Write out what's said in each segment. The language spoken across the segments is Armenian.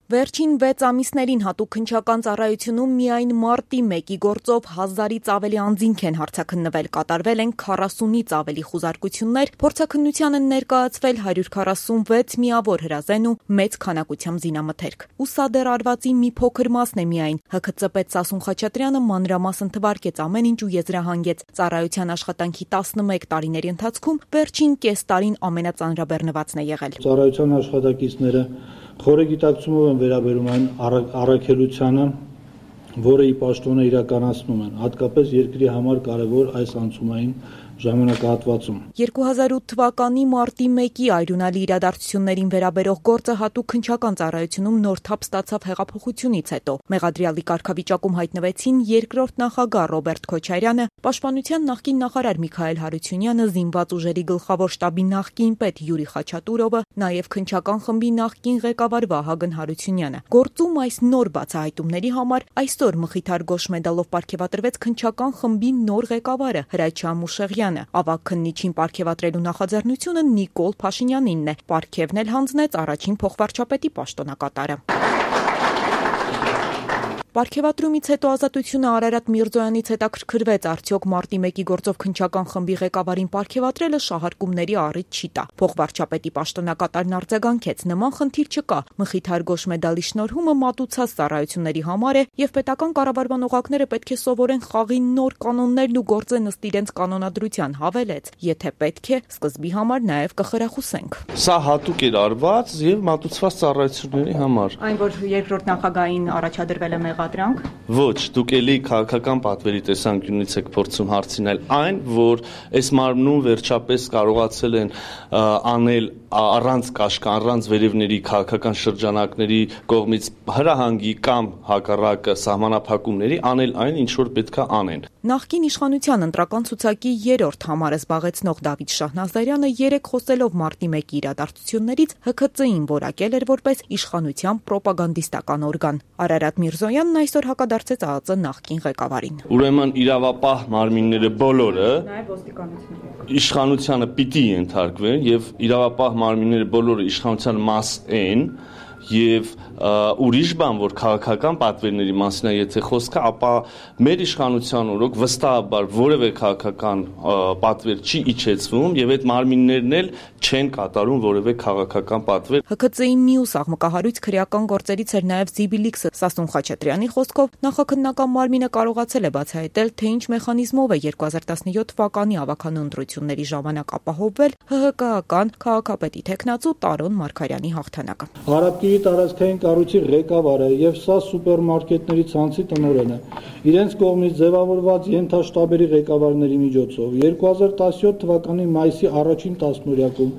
Վերջին 6 ամիսներին հատուկ քննչական ծառայությունում միայն մարտի 1-ի գործով 1000-ից ավելի անձինք են հարցաքննվել, կատարվել են 40-ից ավելի խուզարկություններ, փորձաքննության են ներկայացվել 146 միավոր հրազեն ու մեծ քանակությամբ զինամթերք։ Ու սա դեռ արվածի մի փոքր մասն է միայն։ ՀՔԾ պետ Սասուն Խաչատրյանը մանրամասն թվարկեց ամեն ինչ ու եզրահանգեց ծառայության աշխատանքի 11 տարիների ընթացքում վերջին կես տարին ամենածանրաբեռնվածն է եղել։ Ծառայության աշխատակիցները խորը գիտակցումով են վերաբերում այն առաքելությանը, որը ի պաշտոնը իրականացնում են, հատկապես երկրի համար կարևոր այս անցումային ժամանակահատվածում։ 2008 թվականի մարտի 1-ի այրունալի իրադարձություններին վերաբերող գործը հատուկ քննչական ծառայությունում նոր թափ ստացավ հեղափոխությունից հետո։ Մեղադրյալի կարգավիճակում հայտնվեցին երկրորդ նախագահ Ռոբերտ Քոչարյանը, Պաշտպանության նախկին նախարար Միքայել Հարությունյանը, Զինված ուժերի գլխավոր շտաբի նախկին պետ Յուրի Խաչատուրովը, նաև քննչական խմբի նախկին ղեկավար Վահագն Հարությունյանը։ Գործում այս նոր բացահայտումների համար այսօր Մխիթար Գոշ մեդալով պարգևատրվեց քննչական խմբի նոր ղեկավարը Հրաչյա Մուշեղյանը։ Ավագ քննիչին պարգևատրելու նախաձեռնությունը Նիկոլ Փաշինյանինն է։ Պարգևն էլ հանձնեց առաջին փոխվարչապետի պաշտոնակատարը։ Պարգևատրումից հետո Ազատությունը Արարատ Միրզոյանից հետաքրքրվեց, արդյոք մարտի 1-ի գործով քննչական խմբի ղեկավարին պարգևատրելը շահարկումների առիթ չի տա։ Փոխվարչապետի պաշտոնակատարն արձագանքեց, նման խնդիր չկա։ Մխիթար Գոշ մեդալի շնորհումը մատուցած ծառայությունների համար է եւ պետական կառավարման օղակները պետք է սովորեն խաղի նոր կանոններն ու գործեն ըստ իրենց կանոնադրության, հավելեց։ Եթե պետք է, սկզբի համար նաեւ կխրախուսենք։ Սա հատուկ էր արված եւ մատուցված ծառայությունների համար։ Այն, որ երկրորդ նախագահային առաջադրվել է Ոչ, դուք էլի քաղաքական պատվերի տեսանկյունից եք փորձում հարցնել այն, որ այս մարմնում վերջապես կարողացել են անել առանց կաշկան, առանց վերևների քաղաքական շրջանակների կողմից հրահանգի կամ հակառակը սահմանափակումների անել այն, ինչ որ պետք է անեն։ Նախկին իշխանության ընտրական ցուցակի 3-րդ համարը զբաղեցնող Դավիթ Շահնազարյանը երեկ խոսելով մարտի 1-ի իրադարձություններից ՀՔԾ-ին որակել էր որպես իշխանության պրոպագանդիստական օրգան։ Արարատ Միրզոյանն այսօր հակադարձեց ԱԱԾ նախկին ղեկավարին։ Ուրեմն իրավապահ մարմինները բոլորը նաև ոստիկանությունը իշխանությանը պիտի ենթարկվեն եւ իրավապահ մարմինները բոլորը իշխանության մաս են եւ ուրիշ բան, որ քաղաքական պատվերների մասին է եթե խոսքը, ապա մեր իշխանության օրոք վստահաբար որևէ քաղաքական պատվեր չի իջեցվում եւ այդ մարմիններն էլ չեն կատարում որևէ քաղաքական պատվեր։ ՀՔԾ-ի մյուս աղմկահարույց քրեական գործերից էր նաեւ Զիբիլիքսը Սասուն Խաչատրյանի խոսքով նախաքննական մարմինը կարողացել է բացահայտել, թե ինչ մեխանիզմով է 2017 թվականի ավագանու ընտրությունների ժամանակ ապահովվել ՀՀԿ-ական քաղաքապետի թեկնածու Տարոն Մարգարյանի հաղթանակը։ Արաբկիրի տարածքային կառույցի ղեկավարը եւ սա սուպերմարկետների ցանցի տնօրենը իրենց կողմից ձևավորված ենթաշտաբերի ղեկավարների միջոցով 2017 թվականի մայիսի առաջին տասնօրյակում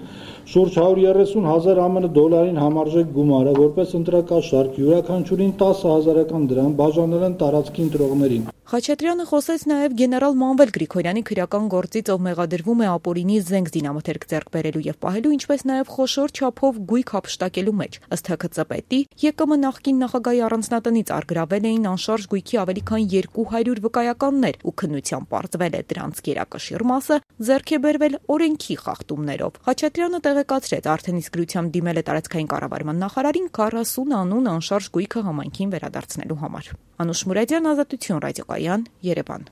շուրջ 130,000 ԱՄՆ դոլարին համարժեք գումարը որպես ընտրակաշարք յուրաքանչյուրին 10,000 դրամ բաժանել են տարածքի ընտրողներին։ Խաչատրյանը խոսեց նաև գեներալ Մանվել Գրիգորյանի քրեական գործից, ով մեղադրվում է ապօրինի զենք զինամթերք ձեռք բերելու եւ պահելու, ինչպես նաև խոշոր չափով գույք հափշտակելու մեջ։ Ըստ ՀՔԾ պետի, ԵԿՄ նախկին նախագահի առանձնատնից արգրավել էին անշարժ գույքի ավելի քան 200 վկայականներ ու քննությամբ պարզվել է դրանց գերակշիռ մասը ձեռք է բերվել օրենքի խախտումներով։ Խաչատրյանը տեղեկացրեց, արդեն իսկ գրությամբ դիմել է տարածքային կառավարման նախարարին 40 անուն անշարժ գույքը համայնքին վերադարձնելու համար։ Անուշ Մուրադյան, Ազատություն ռադիոկայան, Երևան։